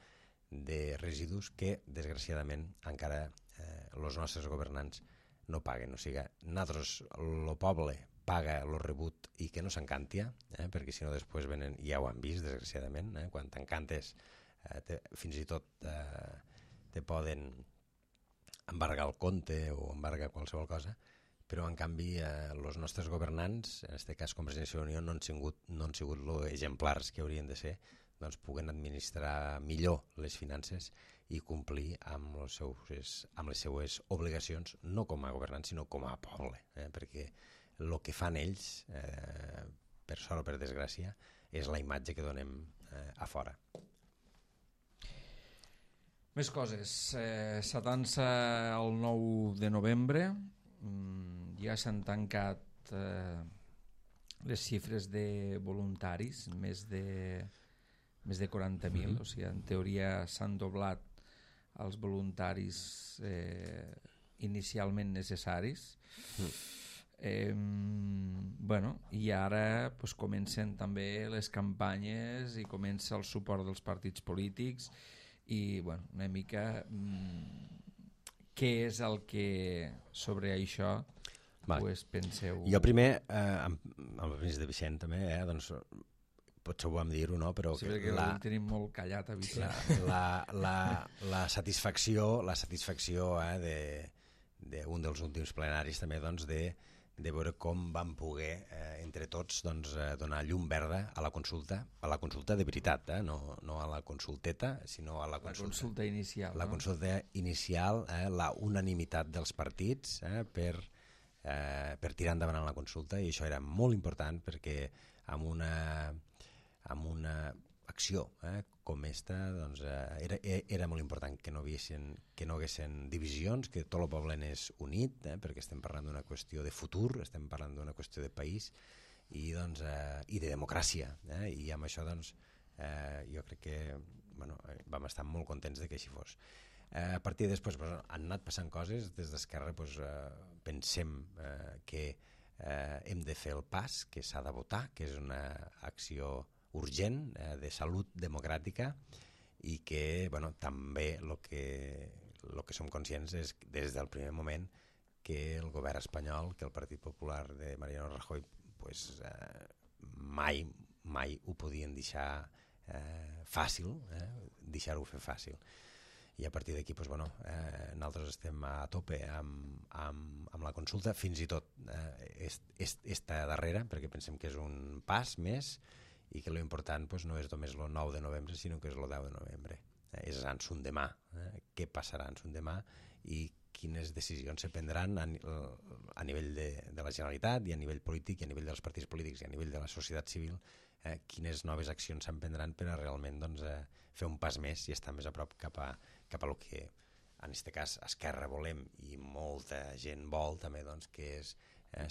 de residus que desgraciadament encara els nostres governants no paguen. O sigui, nosaltres, el poble, paga el rebut i que no s'encantia, perquè si no després venen, ja ho han vist desgraciadament, quan t'encantes fins i tot te poden embargar el compte o embargar qualsevol cosa, però en canvi els nostres governants, en aquest cas Convergència i Unió, no han sigut lo exemplars que haurien de ser, doncs puguen administrar millor les finances i complir amb les seues obligacions, no com a governants, sinó com a poble, perquè el que fan ells, per sort o per desgràcia, és la imatge que donem a fora. Més coses. S'atança el 9 de novembre. Ja s'han tancat les xifres de voluntaris, més de 40.000. O sigui, en teoria s'han doblat els voluntaris inicialment necessaris. I ara pues, comencen també les campanyes i comença el suport dels partits polítics i una mica què és el que sobre això pues, penseu? Jo primer, amb el permís de Vicent també, doncs, potser ho vam dir-ho, no? Però sí, perquè el tenim molt callat a Vicent. La satisfacció d'un dels últims plenaris també doncs, de veure com vam poder entre tots doncs, donar llum verda a la consulta de veritat, no a la consulteta, sinó a la consulta inicial. La consulta inicial, la unanimitat dels partits per tirar endavant la consulta, i això era molt important perquè amb una acció com esta doncs, era molt important que no haguessin divisions, que tot el poble anés unit, perquè estem parlant d'una qüestió de futur, estem parlant d'una qüestió de país i de democràcia, i amb això doncs, jo crec que vam estar molt contents de que així fos. A partir de després han anat passant coses. Des d'Esquerra pensem que hem de fer el pas, que s'ha de votar, que és una acció urgent de salut democràtica i que també el que som conscients és des del primer moment que el govern espanyol, que el Partit Popular de Mariano Rajoy mai ho podien deixar fàcil, deixar-ho fer fàcil. I a partir d'aquí nosaltres estem a tope amb la consulta, fins i tot esta darrera, perquè pensem que és un pas més i que l'important no és només el 9 de novembre, sinó que és el 10 de novembre. És en son demà. Què passarà en son demà i quines decisions se prendran a nivell de la Generalitat i a nivell polític i a nivell dels partits polítics i a nivell de la societat civil, quines noves accions s'emprendran per a realment fer un pas més i estar més a prop cap a el que en aquest cas Esquerra volem i molta gent vol també, que és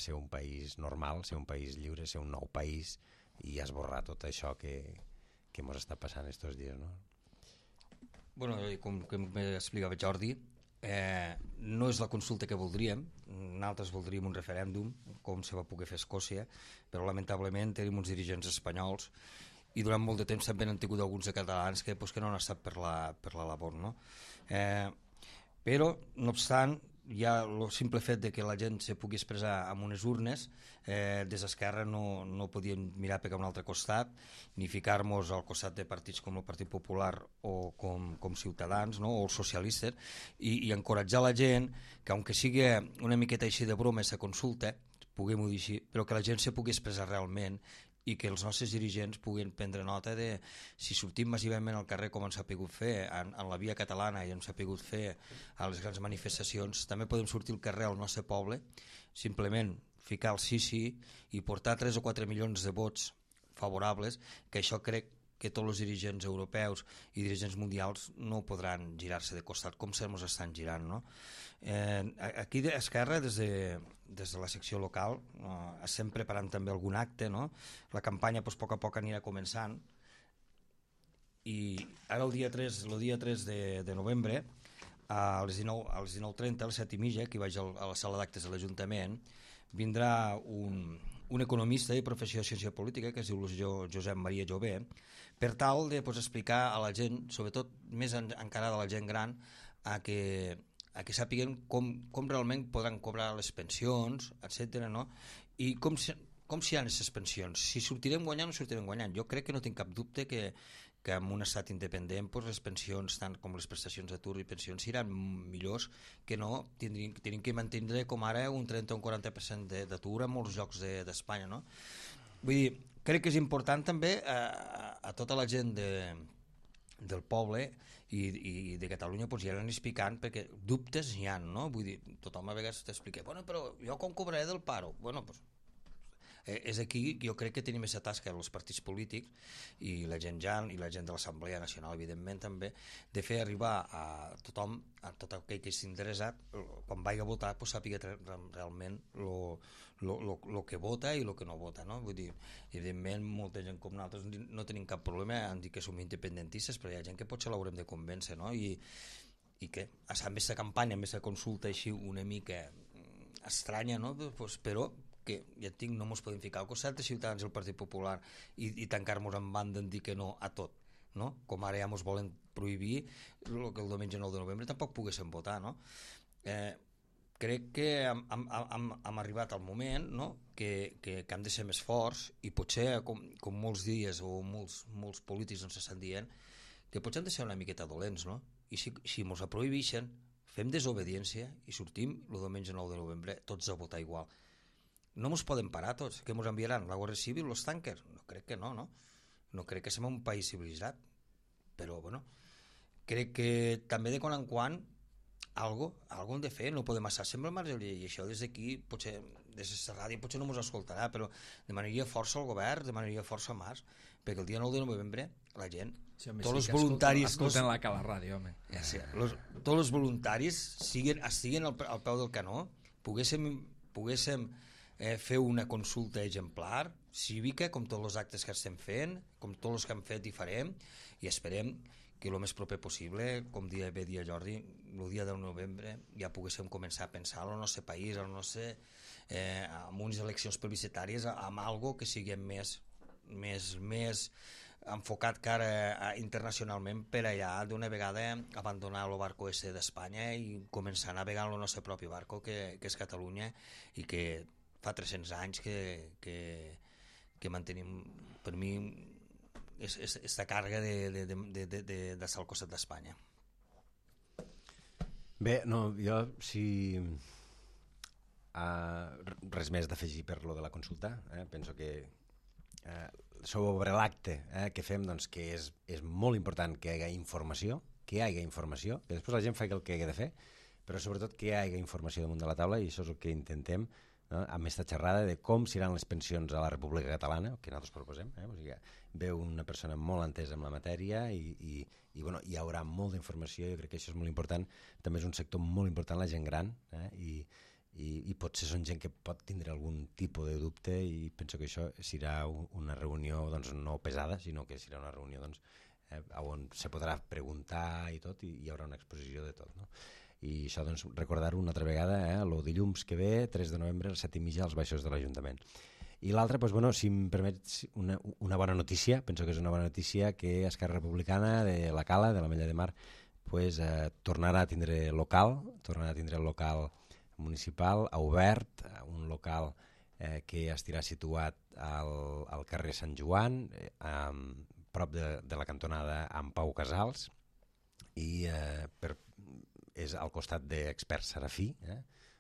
ser un país normal, ser un país lliure, ser un nou país i esborrar tot això que ens està passant aquests dies, no? Com explicava Jordi, no és la consulta que voldríem. Nosaltres voldríem un referèndum, com se va poder fer a Escòcia, però lamentablement tenim uns dirigents espanyols i durant molt de temps també han tingut alguns de catalans que no han estat per la labor, no? Però, no obstant, ja el simple fet de que la gent se pugui expressar amb unes urnes, des d'Esquerra no podíem mirar per un altre costat ni ficar-nos al costat de partits com el Partit Popular o com Ciutadans, no? O els socialistes, i encoratjar la gent que, aunque sigui una miqueta així de broma aquesta consulta, puguem-ho dir així, però que la gent se pugui expressar realment i que els nostres dirigents puguin prendre nota de si sortim massivament al carrer com ens ha pogut fer en la via catalana i ens ha pogut fer a les grans manifestacions, també podem sortir al carrer al nostre poble, simplement ficar el sí i portar 3 o 4 milions de vots favorables, que això crec que tots els dirigents europeus i dirigents mundials no podran girar-se de costat com se mos estan girant, no? Aquí d'Esquerra, des de la secció local, estem preparant també algun acte, no? La campanya a poc a poc anirà començant, i ara el dia 3 de novembre a les 19:30, a les 7:30, que vaig a la sala d'actes de l'Ajuntament, vindrà un economista de professió de ciència política que es diu Josep Maria Jové, per tal de explicar a la gent, sobretot més encara de la gent gran, a que sàpiguen com realment podran cobrar les pensions, etc., no? I com seran aquestes pensions, si sortirem guanyant o no sortirem guanyant. Jo crec que no tinc cap dubte que en un estat independent les pensions, tant com les prestacions d'atur i pensions, seran millors, que no tenim que mantenir com ara un 30 o un 40% d'atur en molts llocs d'Espanya, no? Vull dir, crec que és important també a tota la gent del poble i de Catalunya ja l'han explicant, perquè dubtes hi ha, no? Vull dir, tothom a vegades t'explica, bueno, però jo com cobraré del paro? Bueno, doncs és aquí jo crec que tenim aquesta tasca els partits polítics i la gent i la gent de l'Assemblea Nacional, evidentment també, de fer arribar a tothom, a tot aquell que estigui interessat, quan vagi a votar, sàpiga realment el que vota i el que no vota, no? Vull dir, evidentment molta gent com nosaltres no tenim cap problema en dir que som independentistes, però hi ha gent que potser l'haurem de convèncer, no? I que amb aquesta campanya, amb aquesta consulta així una mica estranya, no? Però que ja et dic, no ens podem ficar al costat de Ciutadans i el Partit Popular i tancar-nos en banda en dir que no a tot, no? Com ara ja ens volen prohibir el que el diumenge 9 de novembre tampoc poguéssim votar, no? Crec que hem arribat al moment, no? que hem de ser més forts i potser, com molts dies o molts polítics ens estan dient, que potser hem de ser una miqueta dolents, no? I si ens ho prohibeixen, fem desobediència i sortim el diumenge 9 de novembre tots a votar igual. No ens poden parar tots, que ens enviaran la Guàrdia Civil, els tanques? No crec que no, no? No crec que som un país civilitzat, però bueno, crec que també de quan en quan algo hem de fer, no podem estar sempre al marge, i això des d'aquí, potser des de la ràdio potser no ens escoltarà, però demanaria força al govern, demanaria força a Mas, perquè el dia 9 de novembre la gent, sí, home, tots els voluntaris... Escolten la Cala Ràdio, home. Ja sé, tots els voluntaris estiguin al peu del canó, poguéssim fer una consulta exemplar, cívica, com tots els actes que estem fent, com tots els que hem fet i farem, i esperem que el més proper possible, com dia Jordi, el dia del novembre ja poguéssim començar a pensar en el nostre país, en unes eleccions plebiscitàries, amb algo que sigui més enfocat cara internacionalment per allà d'una vegada abandonar el barco ese d'Espanya i començar a navegar el nostre propi barco, que és Catalunya, i que fa 300 anys que mantenim, per mi, aquesta càrrega d'estar al costat d'Espanya. Bé, no, jo res més d'afegir per lo de la consulta. Penso que sobre l'acte que fem, doncs, que és molt important que hi hagi informació, que després la gent faci el que ha de fer, però sobretot que hi hagi informació damunt de la taula, i això és el que intentem, no? Amb aquesta xerrada de com seran les pensions a la República Catalana, que nosaltres proposem, o sigui, veu una persona molt entesa en la matèria i bueno, hi haurà molta informació. Jo crec que això és molt important. També és un sector molt important, la gent gran, i potser són gent que pot tindre algun tipus de dubte, i penso que això serà una reunió, doncs, no pesada, sinó que serà una reunió, doncs, on se podrà preguntar i tot, i hi haurà una exposició de tot, no? I això, doncs, recordar-ho una altra vegada, el dilluns que ve, 3 de novembre, a les 7:30, als baixos de l'Ajuntament. I l'altre, doncs, bueno, si em permets una bona notícia, penso que és una bona notícia, que Esquerra Republicana de la Cala, de l'Ametlla de Mar, pues, tornarà a tindre el local municipal, obert, un local que estarà situat al carrer Sant Joan, prop de la cantonada amb Pau Casals, i és al costat d'Expert Serafí,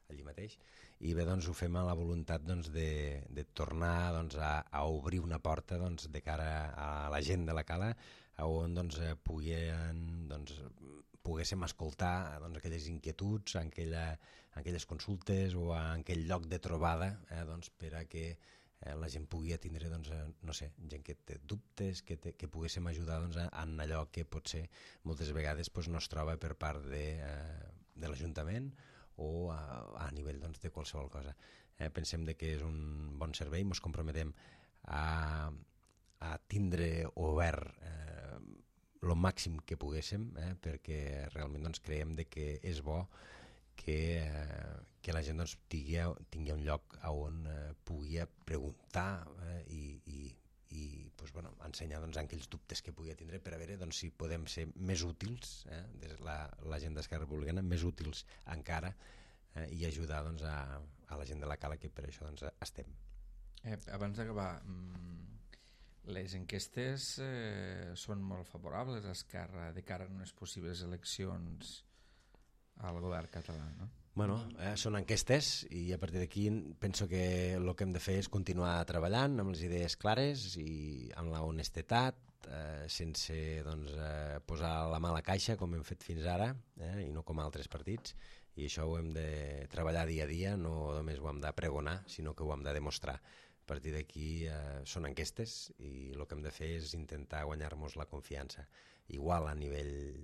allí mateix, i bé, doncs, ho fem amb la voluntat, doncs, de tornar, doncs, a obrir una porta, doncs, de cara a la gent de la Cala, on, doncs, poguéssim escoltar, doncs, aquelles inquietuds, aquelles consultes, o en aquell lloc de trobada, doncs, per a que la gent pugui tindre, doncs, no sé, gent que té dubtes, que poguéssim ajudar doncs, en allò que potser moltes vegades doncs, no es troba per part de l'Ajuntament o a nivell doncs, de qualsevol cosa. Pensem que és un bon servei, ens comprometem a tindre obert el màxim que poguéssim, perquè realment doncs, creiem que és bo que la gent doncs, tingui un lloc on pugui preguntar i doncs, bueno, ensenyar doncs, aquells dubtes que pugui tindre per a veure doncs, si podem ser més útils, la gent d'Esquerra Republicana, més útils encara, i ajudar doncs, a la gent de la Cala, que per això doncs, estem. Abans d'acabar, les enquestes són molt favorables a Esquerra de cara a unes possibles eleccions al govern català, no? Bueno, són enquestes i a partir d'aquí penso que el que hem de fer és continuar treballant amb les idees clares i amb la honestedat, sense doncs, posar la mà a la caixa com hem fet fins ara, i no com altres partits, i això ho hem de treballar dia a dia, no només ho hem de pregonar, sinó que ho hem de demostrar. A partir d'aquí són enquestes i el que hem de fer és intentar guanyar-nos la confiança, igual a nivell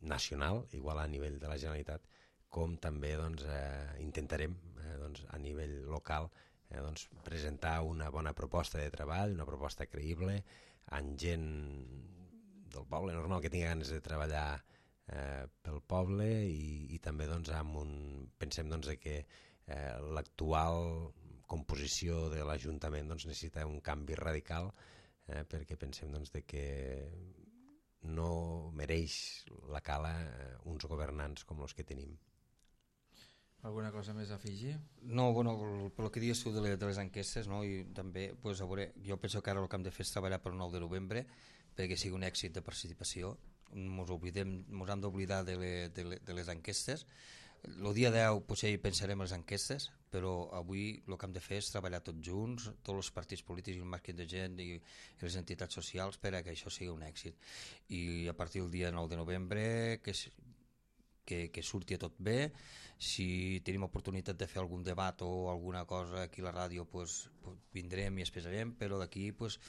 nacional, igual a nivell de la Generalitat, com també doncs, intentarem doncs, a nivell local doncs, presentar una bona proposta de treball, una proposta creïble, amb gent del poble normal que tingui ganes de treballar pel poble i també doncs, pensem doncs, que l'actual composició de l'Ajuntament doncs, necessita un canvi radical, perquè pensem doncs, que no mereix la Cala uns governants com els que tenim. Alguna cosa més a afegir? No, bueno, pel que dius tu de les enquestes, no? I també, pues, a veure, jo penso que ara el que hem de fer és treballar pel 9 de novembre perquè sigui un èxit de participació. Ens hem d'oblidar de les enquestes. El dia 10 potser hi pensarem en les enquestes, però avui el que hem de fer és treballar tots junts, tots els partits polítics i el màxim de gent i les entitats socials per a que això sigui un èxit. I a partir del dia 9 de novembre que surti tot bé. Si tenim oportunitat de fer algun debat o alguna cosa aquí a la ràdio, pues vindrem i expressarem, però d'aquí pues,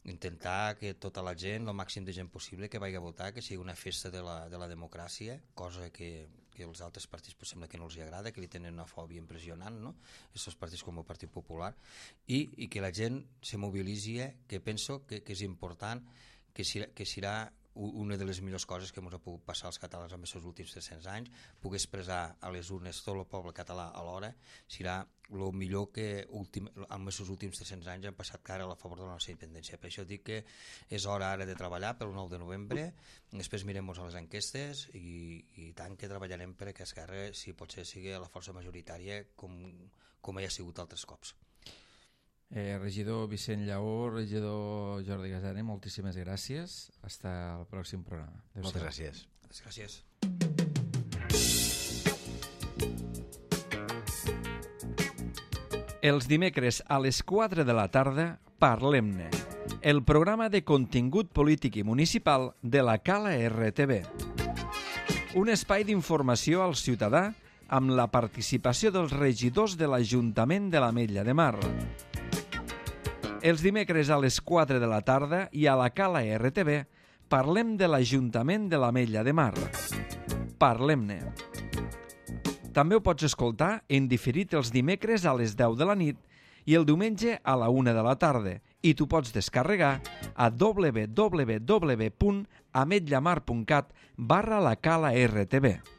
intentar que tota la gent, el màxim de gent possible que vagi a votar, que sigui una festa de la democràcia, cosa que els altres partits pues, sembla que no els agrada, que li tenen una fòbia impressionant, no? Aquests partits com el Partit Popular, i que la gent se mobilitzi, que penso que és important, que serà una de les millors coses que ens ha pogut passar als catalans en aquests últims 300 anys, poder expressar a les urnes tot el poble català alhora, serà el millor que en aquests últims 300 anys han passat cara a favor de la nostra independència. Per això dic que és hora ara de treballar pel 9 de novembre, després mirem-nos a les enquestes i tant que treballarem perquè Esquerra, si potser sigui la força majoritària com ja ha sigut altres cops. Regidor Vicent Lleó, regidor Jordi Gasane, moltíssimes gràcies. Hasta el pròxim programa. Moltes gràcies. Gràcies. Els dimecres a les 4 de la tarda, Parlem-ne, el programa de contingut polític i municipal de la Cala RTV. Un espai d'informació al ciutadà amb la participació dels regidors de l'Ajuntament de l'Ametlla de Mar. Els dimecres a les 4 de la tarda i a la Cala RTV parlem de l'Ajuntament de l'Ametlla de Mar. Parlem-ne. També ho pots escoltar en diferit els dimecres a les 10 de la nit i el diumenge a la 1 de la tarda i t'ho pots descarregar a www.ametllamar.cat/la Cala RTV.